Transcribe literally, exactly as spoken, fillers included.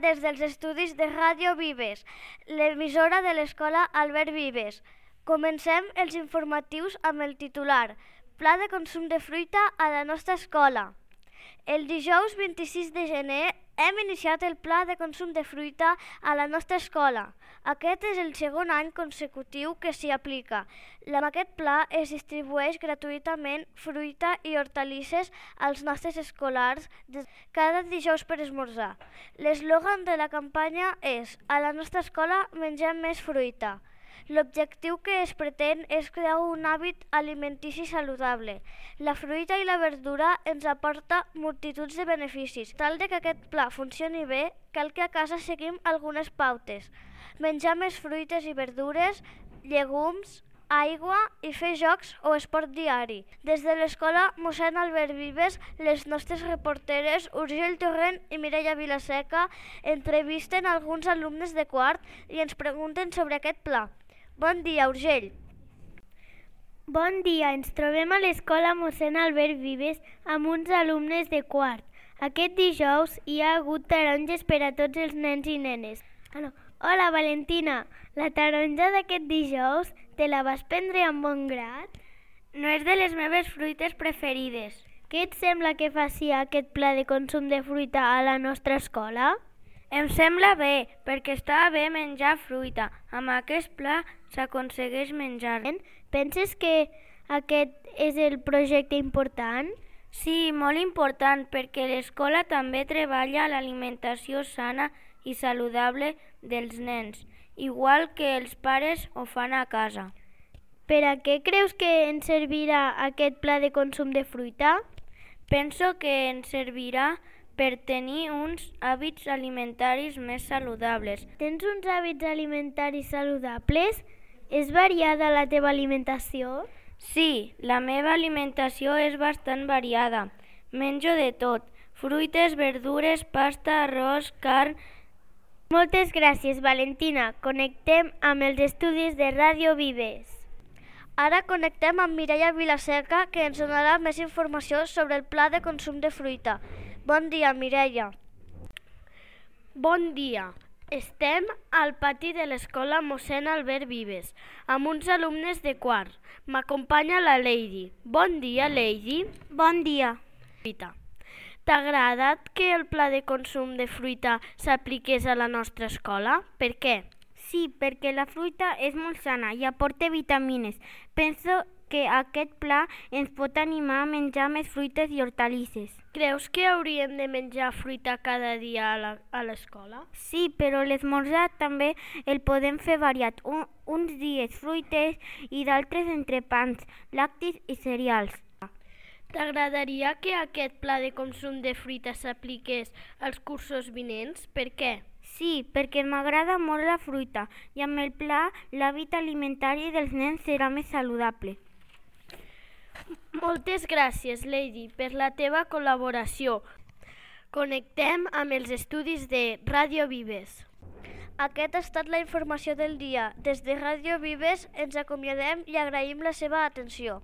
des dels estudis de Ràdio Vives, l'emissora de l'escola Albert Vives. Comencem els informatius amb el titular Pla de consum de fruita a la nostra escola. El dijous vint-i-sis de gener hem iniciat el pla de consum de fruita a la nostra escola. Aquest és el segon any consecutiu que s'hi aplica. Amb aquest pla es distribueix gratuïtament fruita i hortalisses als nostres escolars cada dijous per esmorzar. L'eslògan de la campanya és «A la nostra escola mengem més fruita». L'objectiu que es pretén és crear un hàbit alimentici saludable. La fruita i la verdura ens aporta multituds de beneficis. Tal de que aquest pla funcioni bé, cal que a casa seguim algunes pautes. Menjar més fruites i verdures, llegums, aigua i fer jocs o esport diari. Des de l'escola mossèn Albert Vives, les nostres reporteres Urgell Torrent i Mireia Vilaseca entrevisten alguns alumnes de quart i ens pregunten sobre aquest pla. Bon dia, Urgell. Bon dia, ens trobem a l'escola mossèn Albert Vives amb uns alumnes de quart. Aquest dijous hi ha hagut taronges per a tots els nens i nenes. Ah, no. Hola, Valentina, la taronja d'aquest dijous te la vas prendre amb bon grat? No és de les meves fruites preferides. Què et sembla que faci aquest pla de consum de fruita a la nostra escola? Em sembla bé, perquè està bé menjar fruita. Amb aquest pla s'aconsegueix menjar. Penses que aquest és el projecte important? Sí, molt important, perquè l'escola també treballa l'alimentació sana i saludable dels nens, igual que els pares ho fan a casa. Per a què creus que ens servirà aquest pla de consum de fruita? Penso que ens servirà per tenir uns hàbits alimentaris més saludables. Tens uns hàbits alimentaris saludables? És variada la teva alimentació? Sí, la meva alimentació és bastant variada. Menjo de tot, fruites, verdures, pasta, arròs, carn... Moltes gràcies, Valentina. Connectem amb els estudis de Ràdio Vives. Ara connectem amb Mireia Vilaseca, que ens donarà més informació sobre el pla de consum de fruita. Bon dia, Mireia. Bon dia. Estem al pati de l'escola mossèn Albert Vives, amb uns alumnes de quart. M'acompanya la Lady. Bon dia, Lady. Bon dia. T'ha agradat que el pla de consum de fruita s'apliqués a la nostra escola? Per què? Sí, perquè la fruita és molt sana i aporta vitamines. Penso que aquest pla ens pot animar a menjar més fruites i hortalisses. Creus que hauríem de menjar fruita cada dia a l'escola? Sí, però l'esmorzar també el podem fer variat. Un, uns dies fruites i d'altres entrepans, lactis i cereals. T'agradaria que aquest pla de consum de fruita s'apliqués als cursos vinents? Per què? Sí, perquè m'agrada molt la fruita i amb el pla l'hàbit alimentari dels nens serà més saludable. Moltes gràcies, Lady, per la teva col·laboració. Connectem amb els estudis de Ràdio Vives. Aquesta ha estat la informació del dia. Des de Ràdio Vives ens acomiadem i agraïm la seva atenció.